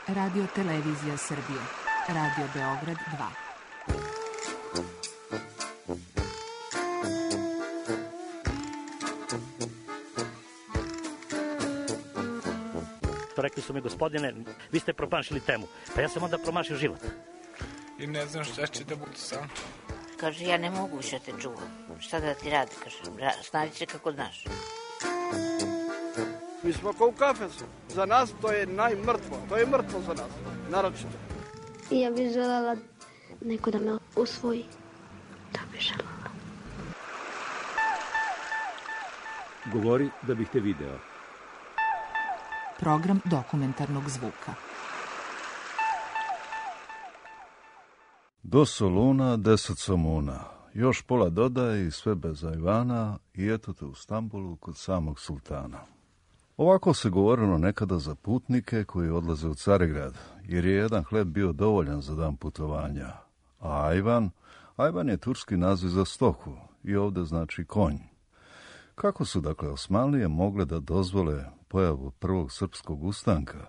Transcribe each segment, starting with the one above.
Radio Televizija Srbije. Radio Beograd 2. Rekli su mi, gospodine, vi ste promašili temu. Pa ja sam onda promašio život. I ne znam šta će da bude sam. Kaže, ja ne mogu više te čuvam. Šta da ti radi, kaže, snađi se kako znaš. Mi smo kao u kafesu. Za nas to je najmrtvo. To je mrtvo za nas, naročito. Ja bih želela neko da me usvoji. To bih želela. Govori da bih te video. Program dokumentarnog zvuka. Do Soluna 10 somuna, još pola dodaj i sve bez ajvana i eto te u Stambulu kod samog sultana. Ovako se govorilo nekada za putnike koji odlaze u Carigrad, jer je jedan hleb bio dovoljan za dan putovanja. A ajvan je turski naziv za stoku i ovdje znači konj. Kako su dakle Osmanlije mogle da dozvole pojavu prvog srpskog ustanka,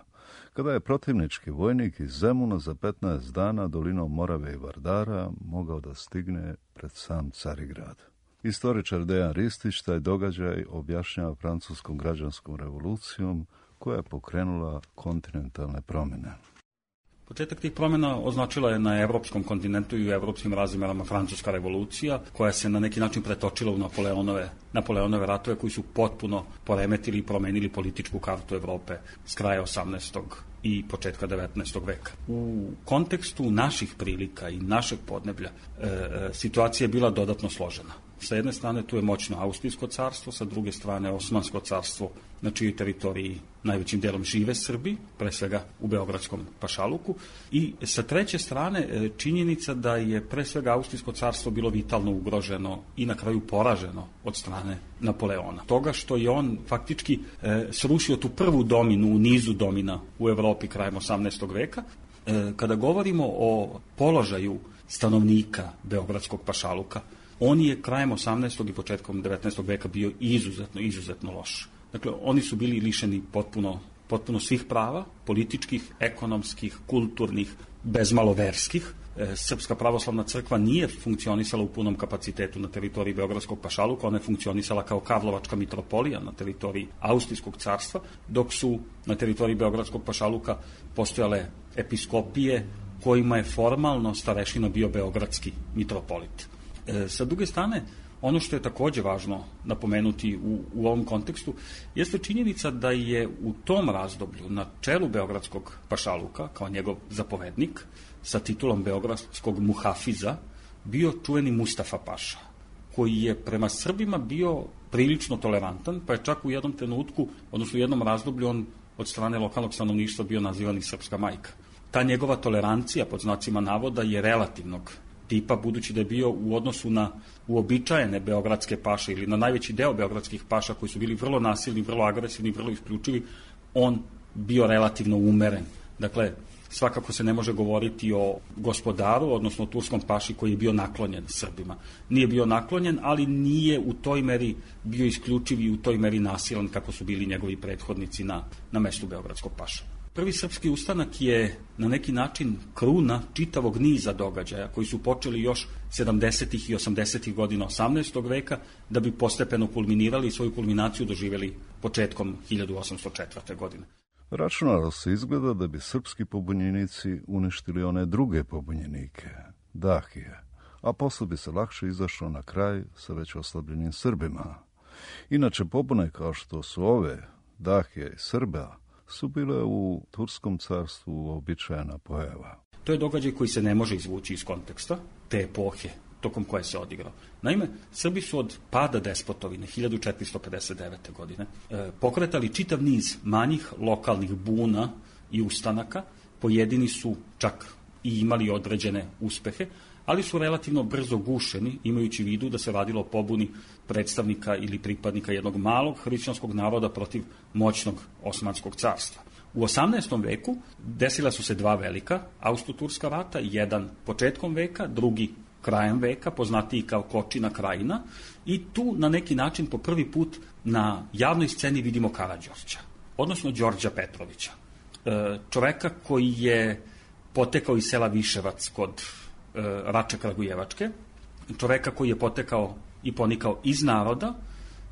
kada je protivnički vojnik iz Zemuna za 15 dana dolinom Morave i Vardara mogao da stigne pred sam Carigrad? Istoričar Dejan Ristić taj događaj objašnjava francuskom građanskom revolucijom koja je pokrenula kontinentalne promjene. Početak tih promjena označila je na evropskom kontinentu i u evropskim razmerama francuska revolucija, koja se na neki način pretočila u Napoleonove ratove koji su potpuno poremetili i promenili političku kartu Evrope s kraja 18. i početka 19. veka. U kontekstu naših prilika i našeg podneblja situacija je bila dodatno složena. Sa jedne strane tu je moćno Austrijsko carstvo, sa druge strane Osmansko carstvo, na čijoj teritoriji najvećim delom žive Srbi, pre svega u Beogradskom pašaluku, i sa treće strane činjenica da je pre svega Austrijsko carstvo bilo vitalno ugroženo i na kraju poraženo od strane Napoleona. Toga što je on faktički srušio tu prvu dominu u nizu domina u Evropi krajem 18. veka. Kada govorimo o položaju stanovnika Beogradskog pašaluka, on je krajem 18. i početkom 19. veka bio izuzetno loš. Dakle, oni su bili lišeni potpuno svih prava, političkih, ekonomskih, kulturnih, bezmalo verskih. Srpska pravoslavna crkva nije funkcionisala u punom kapacitetu na teritoriji Beogradskog pašaluka, ona je funkcionisala kao Karlovačka mitropolija na teritoriji Austrijskog carstva, dok su na teritoriji Beogradskog pašaluka postojale episkopije kojima je formalno starešina bio beogradski mitropolit. Sa druge strane, ono što je takođe važno napomenuti u ovom kontekstu jeste činjenica da je u tom razdoblju na čelu Beogradskog pašaluka, kao njegov zapovednik, sa titulom beogradskog muhafiza, bio čuveni Mustafa Paša, koji je prema Srbima bio prilično tolerantan, pa je čak u jednom trenutku, odnosno u jednom razdoblju, on od strane lokalnog stanovništva bio nazivan i srpska majka. Ta njegova tolerancija, pod znacima navoda, je relativnog tipa, budući da je bio u odnosu na uobičajene beogradske paše ili na najveći deo beogradskih paša koji su bili vrlo nasilni, vrlo agresivni, vrlo isključivi, on bio relativno umeren. Dakle, svakako se ne može govoriti o gospodaru, odnosno o turskom paši koji je bio naklonjen Srbima. Nije bio naklonjen, ali nije u toj meri bio isključiv i u toj meri nasilan kako su bili njegovi prethodnici na mestu beogradskog paša. Prvi srpski ustanak je na neki način kruna čitavog niza događaja koji su počeli još 70. i 80. godina 18. veka, da bi postepeno kulminirali i svoju kulminaciju doživjeli početkom 1804. godine. Računalo se izgleda da bi srpski pobunjenici uništili one druge pobunjenike, Dahije, a posle bi se lakše izašlo na kraj sa već oslabljenim Srbima. Inače, pobune kao što su ove, Dahije i Srba, su bile u Turskom carstvu uobičajena pojava. To je događaj koji se ne može izvući iz konteksta te epohe tokom koje se odigrao. Naime, Srbi su od pada despotovine 1459. godine pokretali čitav niz manjih lokalnih buna i ustanaka. Pojedini su čak i imali određene uspehe, ali su relativno brzo gušeni, imajući u vidu da se radilo o pobuni predstavnika ili pripadnika jednog malog hrišćanskog naroda protiv moćnog Osmanskog carstva. U 18. veku desila su se dva velika Austro-Turska rata, jedan početkom veka, drugi krajem veka, poznatiji kao Kočina krajina, i tu na neki način po prvi put na javnoj sceni vidimo Karađorđa, odnosno Đorđa Petrovića. čoveka koji je potekao iz sela Viševac kod Rače Kragujevačke, čoveka koji je potekao i ponikao iz naroda,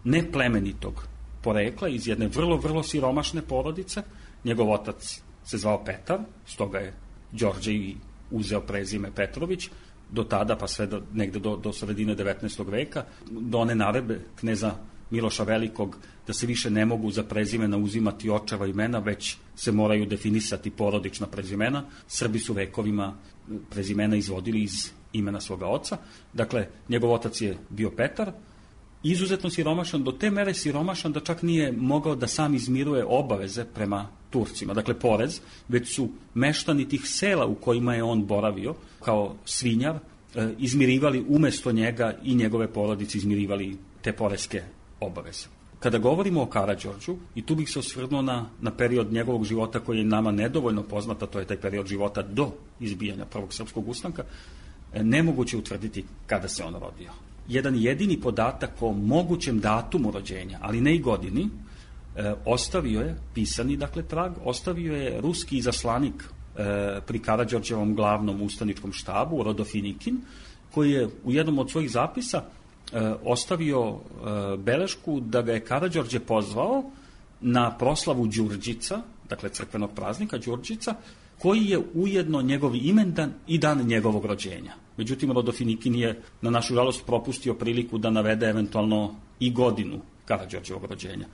neplemenitog porekla, iz jedne vrlo, vrlo siromašne porodice. Njegov otac se zvao Petar, stoga je Đorđe i uzeo prezime Petrović, do tada, pa sve negde do sredine 19. veka, do one naredbe kneza Miloša Velikog da se više ne mogu za prezimena uzimati očeva imena, već se moraju definisati porodična prezimena. Srbi su vekovima prezimena izvodili iz imena svoga oca. Dakle, njegov otac je bio Petar, izuzetno siromašan, do te mere siromašan da čak nije mogao da sam izmiruje obaveze prema Turcima. Dakle, porez, već su meštani tih sela u kojima je on boravio kao svinjar izmirivali umesto njega i njegove porodice izmirivali te poreske obaveze. Kada govorimo o Karađorđu, i tu bih se osvrnuo na period njegovog života koji je nama nedovoljno poznat, a to je taj period života do izbijanja Prvog srpskog ustanka, nemoguće utvrditi kada se on rodio. Jedan jedini podatak o mogućem datumu rođenja, ali ne i godini, ostavio je, pisani dakle trag, ostavio je ruski izaslanik pri Karađorđevom glavnom ustaničkom štabu, Rodofinikin, koji je u jednom od svojih zapisa ostavio belešku da ga je Karađorđe pozvao na proslavu Đurđica, dakle crkvenog praznika Đurđica, koji je ujedno njegov imendan i dan njegovog rođenja. Međutim, Rodofinikin je na našu žalost propustio priliku da navede eventualno i godinu Karađorđevog rođenja.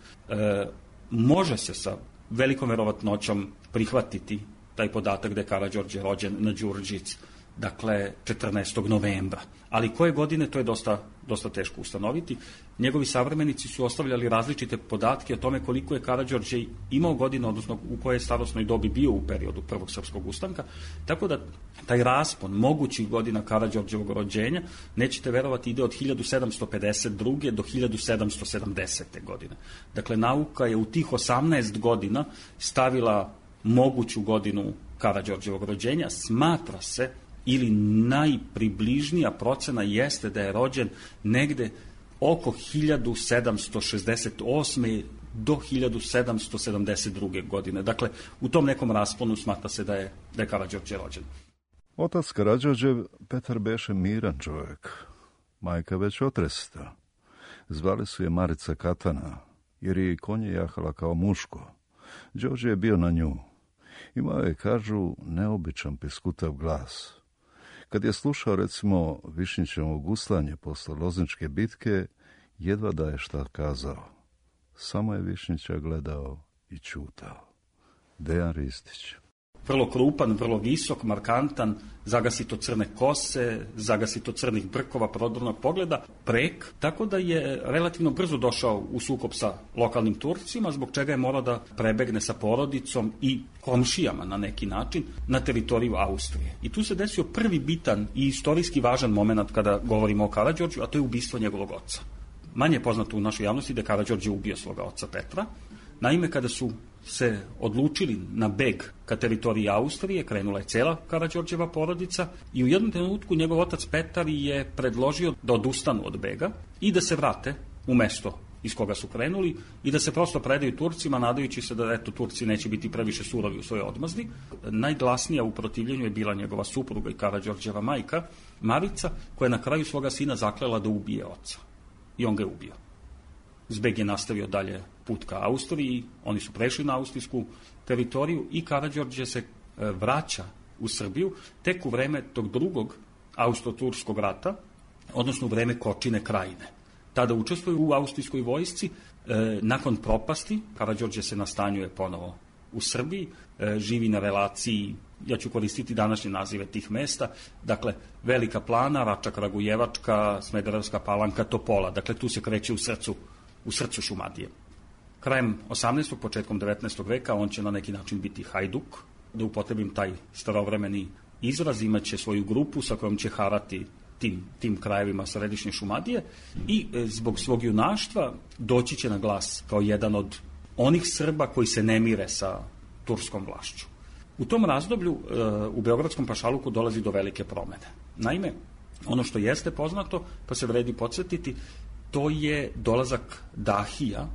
Može se sa velikom verovatnoćom prihvatiti taj podatak da je Karađorđe rođen na Đurđic, dakle 14. novembra. Ali koje godine, to je dosta teško ustanoviti. Njegovi savremenici su ostavljali različite podatke o tome koliko je Karađorđe imao godina, odnosno u kojoj starosnoj dobi bio u periodu Prvog srpskog ustanka, tako da taj raspon mogućih godina Karađorđevog rođenja, nećete verovati, ide od 1752. do 1770. godine. Dakle, nauka je u tih 18 godina stavila moguću godinu Karađorđevog rođenja. Smatra se, ili najpribližnija procena jeste da je rođen negde oko 1768. do 1772. godine. Dakle, u tom nekom rasponu smatra se da je Karađorđe rođen. Otac Karađorđev, Petar, beše miran čovjek, majka već otresta. Zvali su je Marica Katana, jer je i konje jahala kao muško. Đorđe je bio na nju. Imao je, kažu, neobičan piskutav glas. Kad je slušao, recimo, Višnjićevo guslanje posle Lozničke bitke, jedva da je šta kazao. Samo je Višnjića gledao i ćutao. Dejan Ristić. Vrlo krupan, vrlo visok, markantan, zagasito crne kose, zagasito crnih brkova, prodornog pogleda, prek, tako da je relativno brzo došao u sukob sa lokalnim Turcima, zbog čega je morao da prebegne sa porodicom i komšijama na neki način na teritoriju Austrije. I tu se desio prvi bitan i istorijski važan moment kada govorimo o Karađorđu, a to je ubistvo njegovog oca. Manje je poznato u našoj javnosti da je Karađorđe ubio svoga oca Petra. Naime, kada su se odlučili na beg ka teritoriji Austrije, krenula je cela Karađorđeva porodica i u jednom trenutku njegov otac Petar je predložio da odustanu od bega i da se vrate u mesto iz koga su krenuli i da se prosto predaju Turcima, nadajući se da Turci neće biti previše surovi u svojoj odmazdi. Najglasnija u protivljenju je bila njegova supruga i Karađorđeva majka, Marica, koja je na kraju svoga sina zaklela da ubije oca. I on ga je ubio. Zbeg je nastavio dalje put ka Austriji, oni su prešli na austrijsku teritoriju i Karađorđe se vraća u Srbiju tek u vreme tog drugog austro-turskog rata, odnosno u vreme Kočine krajine. Tada učestvuje u austrijskoj vojsci. Nakon propasti, Karađorđe se nastanjuje ponovo u Srbiji, živi na relaciji, ja ću koristiti današnje nazive tih mesta, dakle Velika Plana, Rača Kragujevačka, Smederevska Palanka, Topola, dakle tu se kreće u srcu Šumadije. Krajem 18. početkom 19. veka on će na neki način biti hajduk, da upotrebim taj starovremeni izraz, imaće svoju grupu sa kojom će harati tim krajevima središnje Šumadije i zbog svog junaštva doći će na glas kao jedan od onih Srba koji se ne mire sa turskom vlašću. U tom razdoblju u Beogradskom pašaluku dolazi do velike promene. Naime, ono što jeste poznato, pa se vredi podsjetiti, to je dolazak Dahija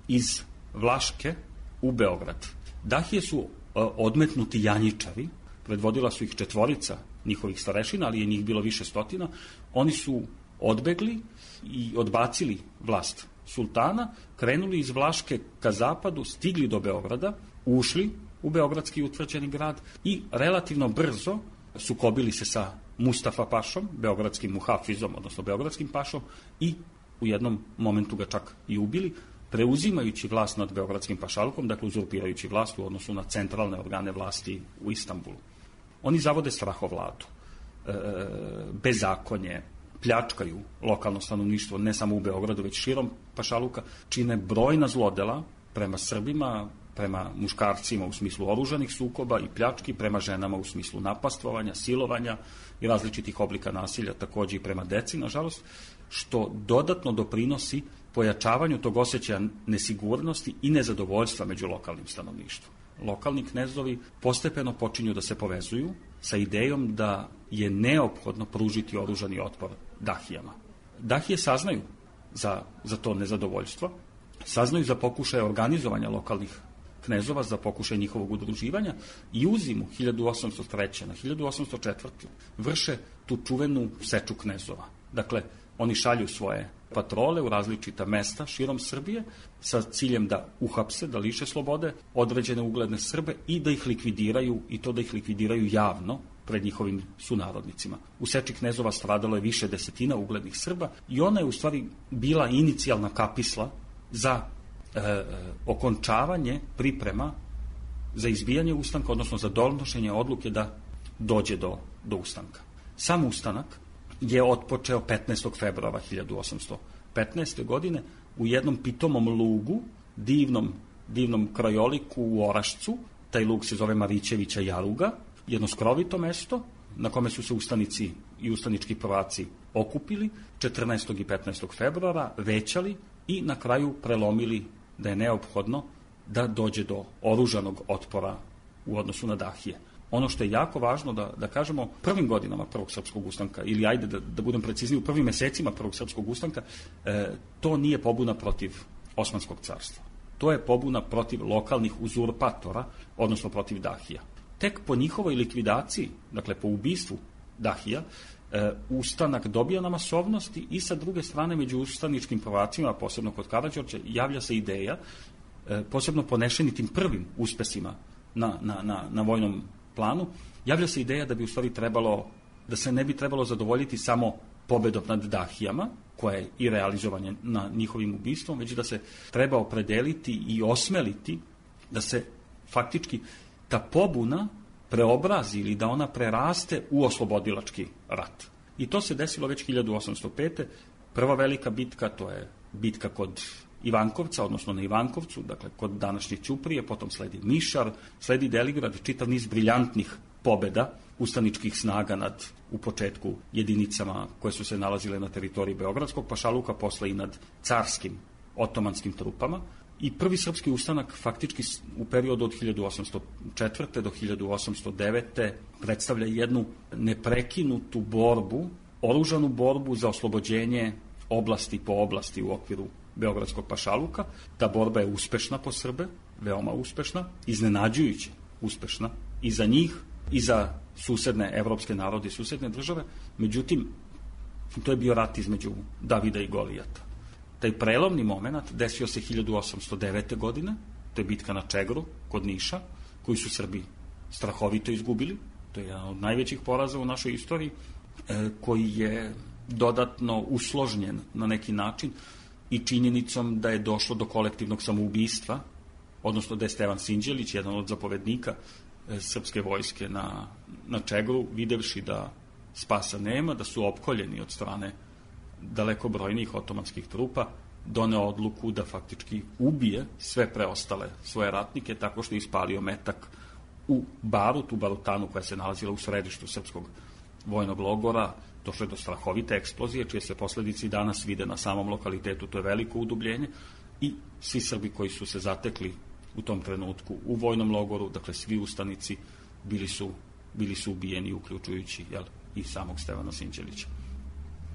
iz Vlaške u Beograd. Dahije su odmetnuti janjičari, predvodila su ih 4 njihovih starešina, ali je njih bilo više stotina, oni su odbegli i odbacili vlast sultana, krenuli iz Vlaške ka zapadu, stigli do Beograda, ušli u beogradski utvrđeni grad i relativno brzo sukobili se sa Mustafa pašom, beogradskim muhafizom, odnosno beogradskim pašom, i u jednom momentu ga čak i ubili, preuzimajući vlast nad beogradskim pašalukom, dakle uzurpirajući vlast u odnosu na centralne organe vlasti u Istanbulu. Oni zavode strahovladu, bezakonje, pljačkaju lokalno stanovništvo, ne samo u Beogradu, već širom pašaluka, čine brojna zlodela prema Srbima, prema muškarcima u smislu oružanih sukoba i pljački, prema ženama u smislu napastvovanja, silovanja i različitih oblika nasilja, takođe i prema deci, nažalost, što dodatno doprinosi pojačavanju tog osjećaja nesigurnosti i nezadovoljstva među lokalnim stanovništvom. Lokalni knezovi postepeno počinju da se povezuju sa idejom da je neophodno pružiti oružani otpor dahijama. Dahije saznaju za to nezadovoljstvo, saznaju za pokušaje organizovanja lokalnih knezova, za pokušaj njihovog udruživanja i u zimu 1803. na 1804. vrše tu čuvenu seču knezova. Dakle, oni šalju svoje patrole u različita mesta širom Srbije sa ciljem da uhapse, da liše slobode određene ugledne Srbe i da ih likvidiraju, i to da ih likvidiraju javno pred njihovim sunarodnicima. U seči knezova stradalo je više desetina uglednih Srba i ona je u stvari bila inicijalna kapisla za okončavanje priprema za izbijanje ustanka, odnosno za donošenje odluke da dođe do ustanka. Sam ustanak je otpočeo 15. februara 1815. godine u jednom pitomom lugu, divnom krajoliku u Orašcu. Taj lug se zove Marićevića jaruga, jedno skrovito mesto na kome su se ustanici i ustanički prvaci okupili 14. i 15. februara, većali i na kraju prelomili da je neophodno da dođe do oružanog otpora u odnosu na dahije. Ono što je jako važno da kažemo, prvim godinama Prvog srpskog ustanka, ili ajde da budem precizniji, u prvim mesecima Prvog srpskog ustanka, to nije pobuna protiv Osmanskog carstva. To je pobuna protiv lokalnih uzurpatora, odnosno protiv dahija. Tek po njihovoj likvidaciji, dakle po ubistvu dahija, ustanak dobija na masovnosti i sa druge strane među ustaničkim prvacima, posebno kod Karađorđa, javlja se ideja, posebno ponešeni tim prvim uspesima na vojnom planu, javlja se ideja da bi u stvari trebalo, da se ne bi trebalo zadovoljiti samo pobedom nad dahijama, koja je i realizovanje na njihovim ubistvom, već da se treba opredeliti i osmeliti da se faktički ta pobuna preobrazi ili da ona preraste u oslobodilački rat. I to se desilo već 1805. Prva velika bitka, to je bitka kod Ivankovca, odnosno na Ivankovcu, dakle kod današnje Ćuprije, potom sledi Mišar, sledi Deligrad, čitav niz briljantnih pobeda ustaničkih snaga nad, u početku, jedinicama koje su se nalazile na teritoriji Beogradskog pašaluka, posle i nad carskim otomanskim trupama. I prvi srpski ustanak faktički u periodu od 1804. do 1809. predstavlja jednu neprekinutu borbu, oružanu borbu za oslobođenje oblasti po oblasti u okviru Beogradskog pašaluka. Ta borba je uspešna po Srbe, veoma uspešna, iznenađujuće uspešna i za njih i za susedne evropske narode i susedne države. Međutim, to je bio rat između Davida i Golijata. Taj prelomni moment desio se 1809. godine, to je bitka na Čegru kod Niša, koju su Srbi strahovito izgubili. To je jedan od najvećih poraza u našoj istoriji, koji je dodatno usložnjen na neki način i činjenicom da je došlo do kolektivnog samoubistva, odnosno da je Stevan Sinđelić, jedan od zapovednika srpske vojske na Čegru, videvši da spasa nema, da su opkoljeni od strane daleko brojnijih otomanskih trupa, doneo odluku da faktički ubije sve preostale svoje ratnike tako što je ispalio metak u Barut, u Barutanu koja se nalazila u središtu srpskog vojnog logora. Došlo je do strahovite eksplozije, čije se posledice danas vide na samom lokalitetu, to je veliko udubljenje i svi Srbi koji su se zatekli u tom trenutku u vojnom logoru, dakle svi ustanici bili su ubijeni, uključujući i samog Stevana Sinđelića.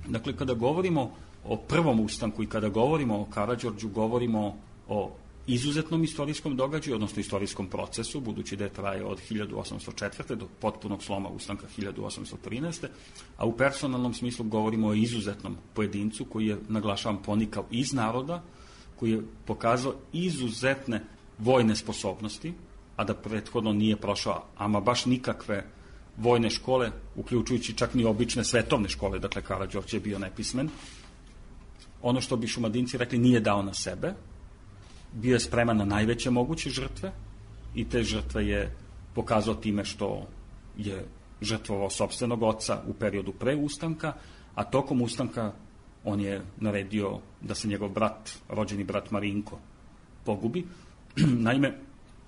Dakle, kada govorimo o prvom ustanku i kada govorimo o Karađorđu, govorimo o izuzetnom istorijskom događaju, odnosno istorijskom procesu, budući da je traje od 1804. do potpunog sloma ustanka 1813. A u personalnom smislu govorimo o izuzetnom pojedincu koji je, naglašavam, ponikao iz naroda, koji je pokazao izuzetne vojne sposobnosti, a da prethodno nije prošao ama baš nikakve vojne škole, uključujući čak ni obične svetovne škole, dakle Karađorđe je bio nepismen. Ono što bi Šumadinci rekli, nije dao na sebe, bio je spreman na najveće moguće žrtve i te žrtve je pokazao time što je žrtvovao sopstvenog oca u periodu pre ustanka, a tokom ustanka on je naredio da se njegov brat, rođeni brat Marinko, pogubi. Naime,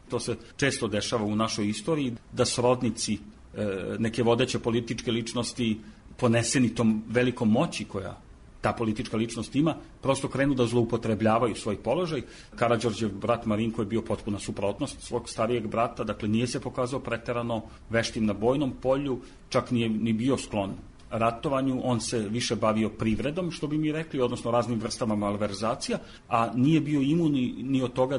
to se često dešava u našoj istoriji, da srodnici neke vodeće političke ličnosti, poneseni tom velikom moći koja ta politička ličnost ima, prosto krenu da zloupotrebljavaju svoj položaj. Karađorđev brat Marinko je bio potpuna suprotnost svog starijeg brata, dakle nije se pokazao preterano veštim na bojnom polju, čak nije ni bio sklon ratovanju, on se više bavio privredom, što bi mi rekli, odnosno raznim vrstama malverzacija, a nije bio imun ni od toga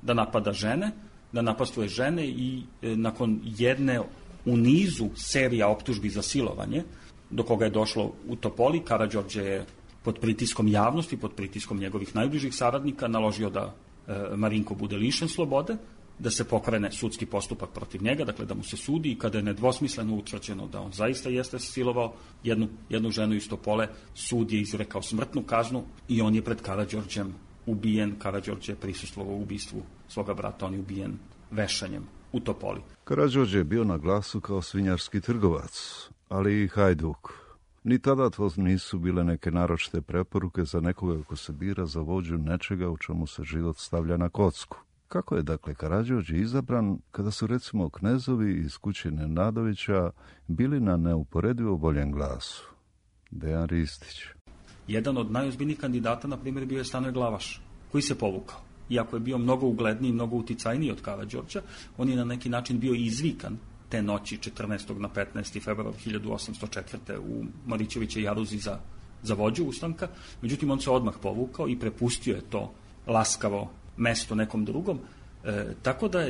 da napada žene, da napastuje žene i nakon jedne u nizu serija optužbi za silovanje, do koga je došlo u Topoli, Karađorđe je pod pritiskom javnosti, pod pritiskom njegovih najbližih saradnika naložio da Marinko bude lišen slobode, da se pokrene sudski postupak protiv njega, dakle da mu se sudi, i kada je nedvosmisleno utvrđeno da on zaista jeste silovao jednu ženu iz Topole, sud je izrekao smrtnu kaznu i on je pred Karađorđem ubijen. Karađorđe je prisustvovao u ubistvu svoga brata, on je ubijen vešanjem u Topoli. Karađorđe je bio na glasu kao svinjarski trgovac, ali i hajduk. Ni tada to nisu bile neke naročite preporuke za nekoga ko se bira za vođu nečega u čemu se život stavlja na kocku. Kako je dakle Karađorđe izabran kada su recimo knezovi iz kuće Nenadovića bili na neuporedivo boljem glasu? Dejan Ristić. Jedan od najozbiljnijih kandidata, na primjer, bio je Stanoje Glavaš, koji se povukao. Iako je bio mnogo ugledniji, mnogo uticajniji od Karađorđa, on je na neki način bio izvikan te noći 14. na 15. februar 1804. u Marićevićoj jaruzi za vođu ustanka. Međutim, on se odmah povukao i prepustio je to laskavo mesto nekom drugom. Tako da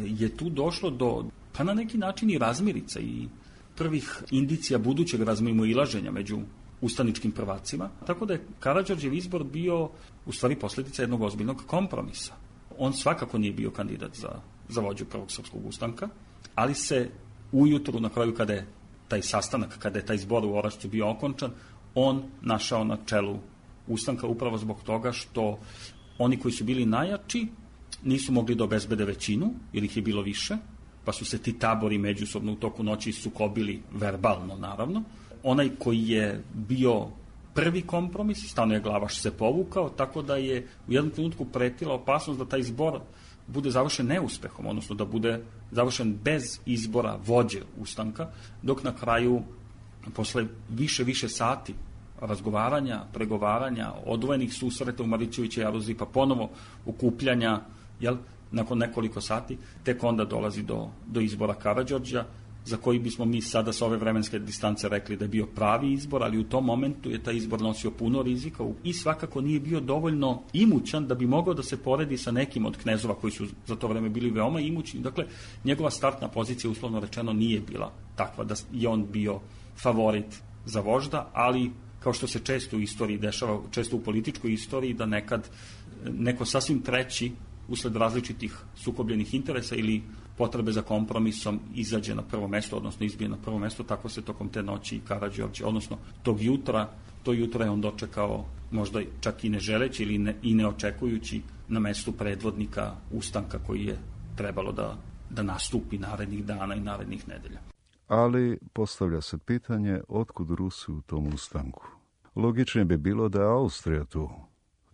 je tu došlo do, pa na neki način i razmirica i prvih indicija budućeg razmimoilaženja među ustaničkim prvacima. Tako da je Karađorđev izbor bio u stvari posljedica jednog ozbiljnog kompromisa. On svakako nije bio kandidat za vođu prvog srpskog ustanka, ali se ujutru, na kraju kada je taj sastanak, kada je taj zbor u Orašcu bio okončan, on našao na čelu ustanka upravo zbog toga što oni koji su bili najjači nisu mogli da obezbede većinu, jer ih je bilo više, pa su se ti tabori međusobno u toku noći sukobili verbalno, naravno. Onaj koji je bio prvi kompromis, Stanoje Glavaš se povukao, tako da je u jednom trenutku pretila opasnost da taj zbor bude završen neuspehom, odnosno da bude završen bez izbora vođe ustanka, dok na kraju, posle više sati razgovaranja, pregovaranja, odvojenih susreta u Marićevićoj jaruzi, pa ponovo okupljanja, nakon nekoliko sati, tek onda dolazi do izbora Karađorđa, za koji bismo mi sada sa ove vremenske distance rekli da je bio pravi izbor, ali u tom momentu je taj izbor nosio puno rizika i svakako nije bio dovoljno imućan da bi mogao da se poredi sa nekim od knezova koji su za to vreme bili veoma imućni. Dakle, njegova startna pozicija, uslovno rečeno, nije bila takva da je on bio favorit za vožda, ali kao što se često u istoriji dešava, često u političkoj istoriji, da nekad neko sasvim treći, usled različitih sukobljenih interesa ili potrebe za kompromisom, izađe na prvo mesto, odnosno izbije na prvo mesto. Tako se tokom te noći Karađorđe, odnosno to jutra je on dočekao, možda čak i ne želeći ili i ne očekujući, na mestu predvodnika ustanka koji je trebalo da nastupi narednih dana i narednih nedelja. Ali postavlja se pitanje otkud Rusi u tom ustanku. Logičnije bi bilo da je Austrija tu.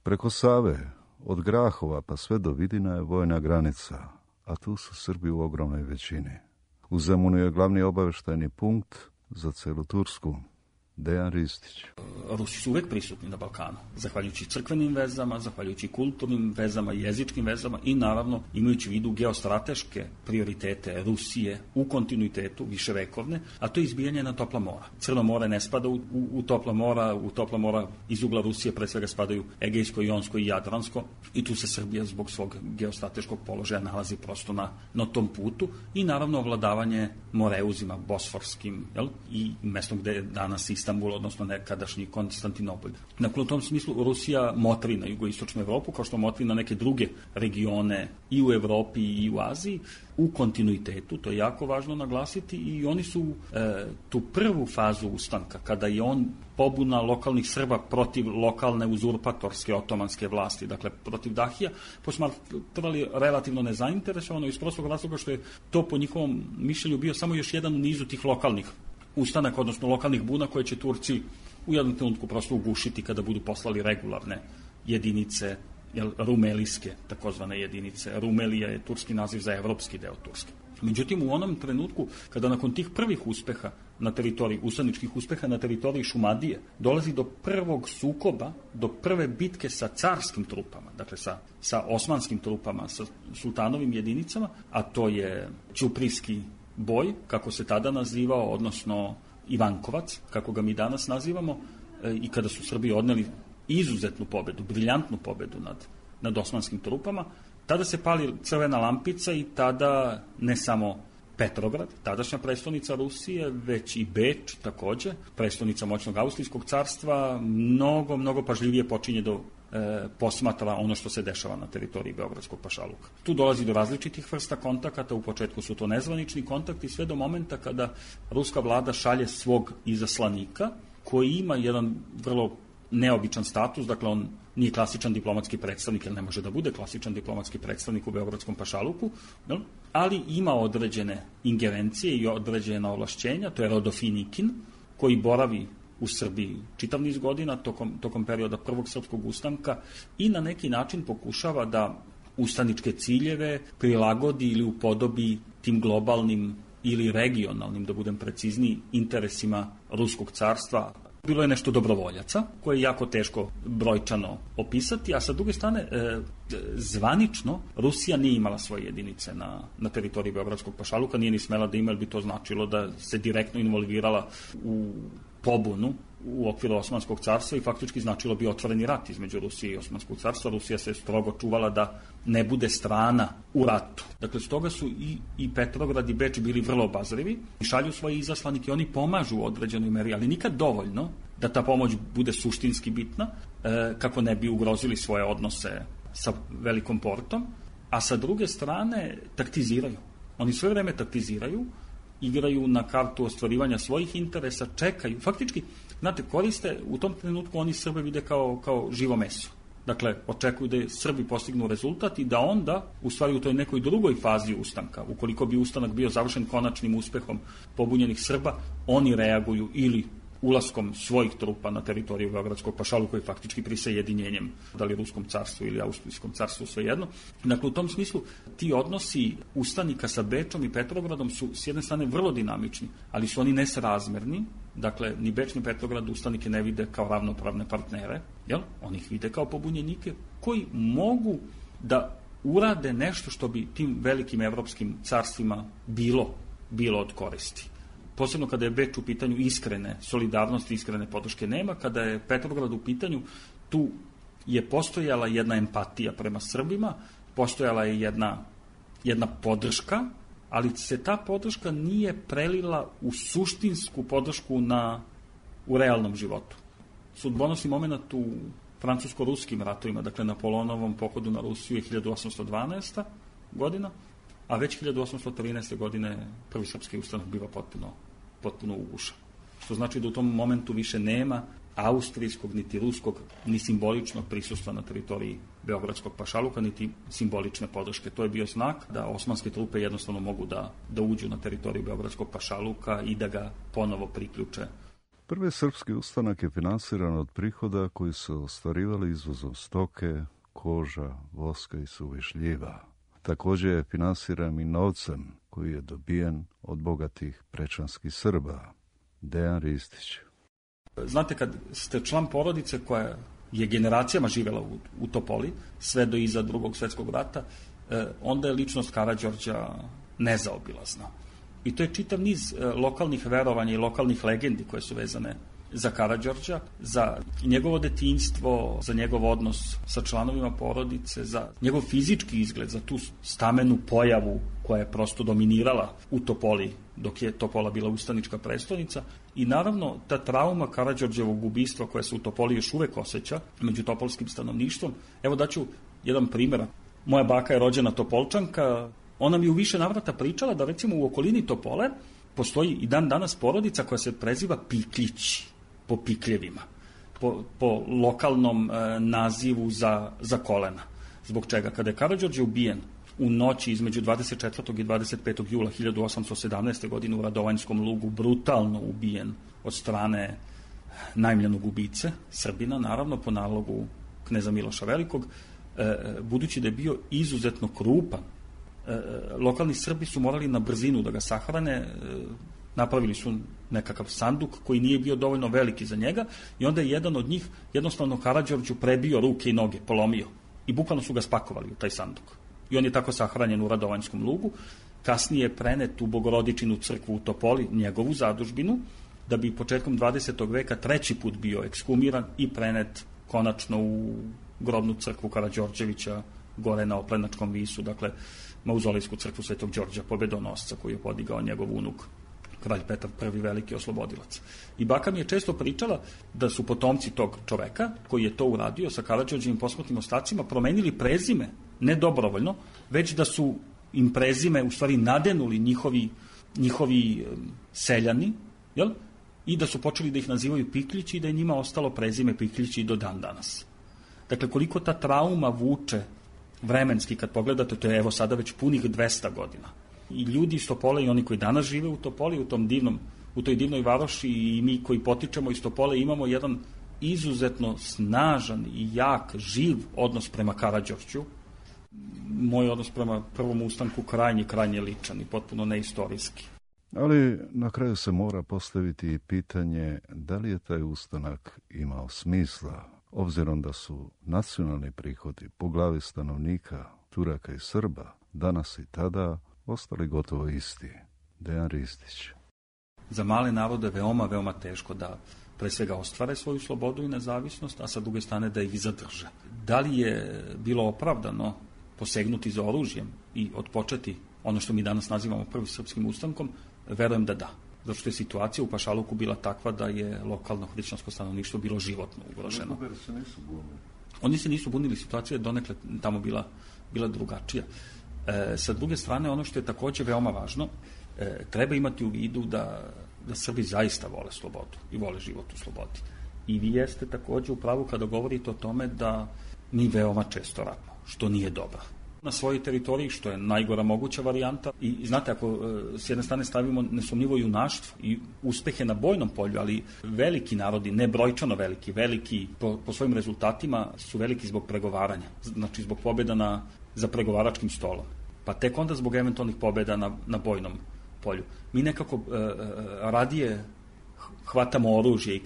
Preko Save, od Grahova pa sve do Vidina je vojna granica, a tu su Srbi u ogromnoj većini. U Zemunu je glavni obaveštajni punkt za celu Tursku. Dejan Ristić. Rusi su uvek prisutni na Balkanu, zahvaljujući crkvenim vezama, zahvaljujući kulturnim vezama, jezičkim vezama i naravno imajući u vidu geostrateške prioritete Rusije u kontinuitetu viševekovne, a to je izbijanje na topla mora. Crno more ne spada u topla mora iz ugla Rusije pre svega spadaju Egejsko, Jonsko i Jadransko i tu se Srbija zbog svog geostrateškog položaja nalazi prosto na tom putu i naravno ovladavanje moreuzima bosforskim, i mestom gde je danas Istanbul, odnosno nekadašnji Konstantinopolj. Dakle, u tom smislu Rusija motri na jugoistočnu Evropu, kao što motri na neke druge regione i u Evropi i u Aziji, u kontinuitetu, to je jako važno naglasiti, i oni su tu prvu fazu ustanka, kada je on pobuna lokalnih Srba protiv lokalne uzurpatorske otomanske vlasti, dakle protiv Dahija, posmatrali relativno nezainteresovano iz prostog razloga što je to po njihovom mišljenju bio samo još jedan u nizu tih lokalnih ustanaka, odnosno lokalnih buna koje će Turci u jednom trenutku prosto ugušiti kada budu poslali regularne jedinice, rumelijske takozvane jedinice. Rumelija je turski naziv za evropski deo Turske. Međutim, u onom trenutku, kada nakon tih prvih uspeha na teritoriji, ustaničkih uspeha na teritoriji Šumadije, dolazi do prvog sukoba, do prve bitke sa carskim trupama, dakle sa osmanskim trupama, sa sultanovim jedinicama, a to je Ćuprijski boj, kako se tada nazivao, odnosno Ivankovac, kako ga mi danas nazivamo, i kada su Srbi odneli izuzetnu pobedu, briljantnu pobedu nad osmanskim trupama, tada se pali crvena lampica i tada ne samo Petrograd, tadašnja prestonica Rusije, već i Beč takođe, prestonica moćnog Austrijskog carstva, mnogo pažljivije počinje do posmatra ono što se dešava na teritoriji Beogradskog pašaluka. Tu dolazi do različitih vrsta kontakata, u početku su to nezvanični kontakti, sve do momenta kada ruska vlada šalje svog izaslanika, koji ima jedan vrlo neobičan status, dakle on nije klasičan diplomatski predstavnik, jer ne može da bude klasičan diplomatski predstavnik u Beogradskom pašaluku, ali ima određene ingerencije i određena ovlašćenja, to je Rodofinikin, koji boravi u Srbiji čitav niz godina tokom perioda prvog srpskog ustanka i na neki način pokušava da ustaničke ciljeve prilagodi ili upodobi tim globalnim ili regionalnim, da budem precizniji, interesima Ruskog carstva. Bilo je nešto dobrovoljaca, koje je jako teško brojčano opisati, a sa druge strane, zvanično, Rusija nije imala svoje jedinice na teritoriji Beogradskog pašaluka, nije ni smela da ima, jer bi to značilo da se direktno involvirala u pobunu u okviru Osmanskog carstva i faktički značilo bi otvoreni rat između Rusije i Osmanskog carstva. Rusija se strogo čuvala da ne bude strana u ratu. Dakle, stoga su i Petrograd i Beč bili vrlo obazrivi i šalju svoje izaslanike, oni pomažu u određenoj meri, ali nikad dovoljno da ta pomoć bude suštinski bitna, kako ne bi ugrozili svoje odnose sa Velikom Portom, a sa druge strane taktiziraju. Oni sve vreme taktiziraju, igraju na kartu ostvarivanja svojih interesa, čekaju, faktički, znate, koriste, u tom trenutku oni Srbe vide kao živo meso. Dakle, očekuju da Srbi postignu rezultat i da onda, u stvari u toj nekoj drugoj fazi ustanka, ukoliko bi ustanak bio završen konačnim uspehom pobunjenih Srba, oni reaguju ili ulaskom svojih trupa na teritoriju Beogradskog pašaluka i faktički prisajedinjenjem, da li Ruskom carstvu ili Austrijskom carstvu, svejedno. Dakle, u tom smislu, ti odnosi ustanika sa Bečom i Petrogradom su s jedne strane vrlo dinamični, ali su oni nesrazmerni. Dakle, ni Beč ni Petrograd ustanike ne vide kao ravnopravne partnere, oni ih vide kao pobunjenike koji mogu da urade nešto što bi tim velikim evropskim carstvima bilo od koristi. Posebno kada je Beč u pitanju iskrene solidarnosti, iskrene podrške nema, kada je Petrograd u pitanju, tu je postojala jedna empatija prema Srbima, postojala je jedna podrška, ali se ta podrška nije prelila u suštinsku podršku u realnom životu. Sudbonosni moment u francusko-ruskim ratovima, dakle Napoleonovom pohodu na Rusiju je 1812. godina, a već 1813. godine prvi srpski ustanak biva potpuno ugušen. Što znači da u tom momentu više nema austrijskog, niti ruskog, ni simboličnog prisustva na teritoriji Beogradskog pašaluka, niti simbolične podrške. To je bio znak da osmanske trupe jednostavno mogu da uđu na teritoriju Beogradskog pašaluka i da ga ponovo priključe. Prvi srpski ustanak je finansiran od prihoda koji su ostvarivali izvozom stoke, koža, voska i suvih šljiva. Također je finansiran i novcem koji je dobijen od bogatih prečanskih Srba. Dejan Ristić. Znate, kad ste član porodice koja je generacijama živela u Topoli, sve do iza Drugog svjetskog rata, onda je ličnost Karađorđa nezaobilazna. I to je čitav niz lokalnih verovanja i lokalnih legendi koje su vezane za Karađorđa, za njegovo detinjstvo, za njegov odnos sa članovima porodice, za njegov fizički izgled, za tu stamenu pojavu koja je prosto dominirala u Topoli dok je Topola bila ustanička prestolnica. I naravno ta trauma Karađorđevog ubistva koja se u Topoli još uvek osjeća među topolskim stanovništvom. Evo daću jedan primjer. Moja baka je rođena Topolčanka. Ona mi u više navrata pričala da recimo u okolini Topole postoji i dan danas porodica koja se preziva Pikljić, po pikljevima, po lokalnom nazivu za kolena. Zbog čega? Kada je Karađorđe ubijen u noći između 24. i 25. jula 1817. godine u Radovanjskom lugu, brutalno ubijen od strane najmljenog ubice, Srbina, naravno po nalogu kneza Miloša Velikog, budući da je bio izuzetno krupan, lokalni Srbi su morali na brzinu da ga sahrane, napravili su nekakav sanduk koji nije bio dovoljno veliki za njega i onda je jedan od njih jednostavno Karađorđu prebio ruke i noge, polomio i bukvalno su ga spakovali u taj sanduk. I on je tako sahranjen u Radovanjskom lugu. Kasnije je prenet u Bogorodičinu crkvu u Topoli, njegovu zadužbinu, da bi početkom 20. veka treći put bio ekshumiran i prenet konačno u grobnu crkvu Karađorđevića gore na Oplenačkom visu, dakle mauzolejsku crkvu Svetog Đorđa Pobedonosca koju je podigao njegov unuk kralj Petar I veliki oslobodilac. I baka mi je često pričala da su potomci tog čoveka koji je to uradio sa Karađorđevim posmrtnim ostacima promenili prezime, ne dobrovoljno, već da su im prezime u stvari nadenuli njihovi seljani, jel? I da su počeli da ih nazivaju Pikljići i da je njima ostalo prezime Pikljići do dan danas. Dakle, koliko ta trauma vuče vremenski, kad pogledate, to je evo sada već punih 200 godina. I ljudi iz Topole i oni koji danas žive u Topoli, u toj divnoj varoši i mi koji potičemo iz Topole imamo jedan izuzetno snažan i jak, živ odnos prema Karađorđu. Moj odnos prema prvom ustanku krajnje ličan i potpuno neistorijski. Ali na kraju se mora postaviti i pitanje da li je taj ustanak imao smisla, obzirom da su nacionalni prihodi po glavi stanovnika Turaka i Srba danas i tada ostali gotovo isti. Dejan Ristić. Za male narode veoma teško da pre svega ostvare svoju slobodu i nezavisnost, a sa druge strane da ih zadrže. Da li je bilo opravdano posegnuti za oružjem i odpočeti ono što mi danas nazivamo prvim srpskim ustankom? Verujem da da. Zato što je situacija u Pašaluku bila takva da je lokalno hrišćansko stanovništvo bilo životno ugroženo. Oni se nisu bunili, situacija je donekle tamo bila drugačija. Sa druge strane, ono što je također veoma važno, treba imati u vidu da Srbi zaista vole slobodu i vole život u slobodi. I vi jeste također u pravu kada govorite o tome da mi veoma često ratimo, što nije dobro. Na svojoj teritoriji, što je najgora moguća varijanta. I znate, ako s jedne strane stavimo nesumnjivo junaštvo i uspehe na bojnom polju, ali veliki narodi, ne brojčano veliki po svojim rezultatima su veliki zbog pregovaranja, znači zbog pobjeda za pregovaračkim stolom. Pa tek onda zbog eventualnih pobjeda na bojnom polju. Mi nekako radije hvatamo oružje i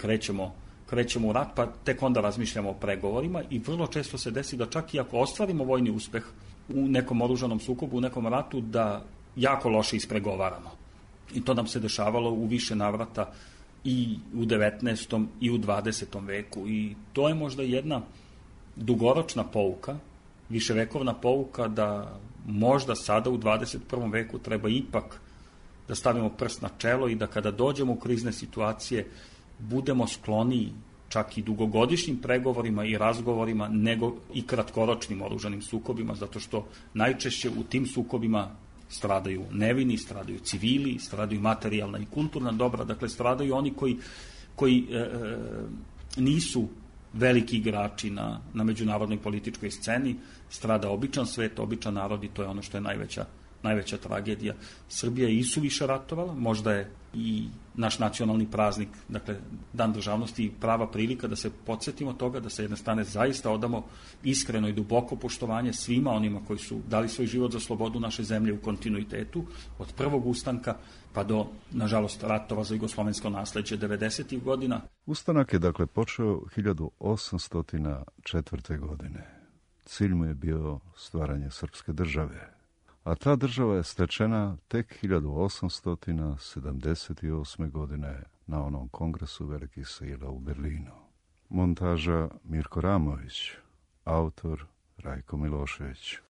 krećemo u rat, pa tek onda razmišljamo o pregovorima i vrlo često se desi da čak i ako ostvarimo vojni uspeh u nekom oružanom sukobu, u nekom ratu, da jako loše ispregovaramo. I to nam se dešavalo u više navrata i u 19. i u 20. veku. I to je možda jedna dugoročna pouka, viševekovna pouka da možda sada u 21. veku treba ipak da stavimo prst na čelo i da kada dođemo u krizne situacije budemo skloniji čak i dugogodišnjim pregovorima i razgovorima nego i kratkoročnim oružanim sukobima, zato što najčešće u tim sukobima stradaju nevini, stradaju civili, stradaju materijalna i kulturna dobra, dakle stradaju oni koji nisu veliki igrači na međunarodnoj političkoj sceni, strada običan svet, običan narod i to je ono što je najveća tragedija. Srbija je isuviše ratovala, možda je i naš nacionalni praznik, dakle Dan državnosti i prava prilika da se podsjetimo toga, da sa jedne strane zaista odamo iskreno i duboko poštovanje svima onima koji su dali svoj život za slobodu naše zemlje u kontinuitetu, od prvog ustanka pa do, nažalost, ratova za jugoslovensko nasleđe 90. godina. Ustanak je dakle počeo 1804. godine. Cilj mu je bio stvaranje srpske države, a ta država je stečena tek 1878. godine na onom kongresu velikih sila u Berlinu. Montaža Mirko Ramović, autor Rajko Milošević.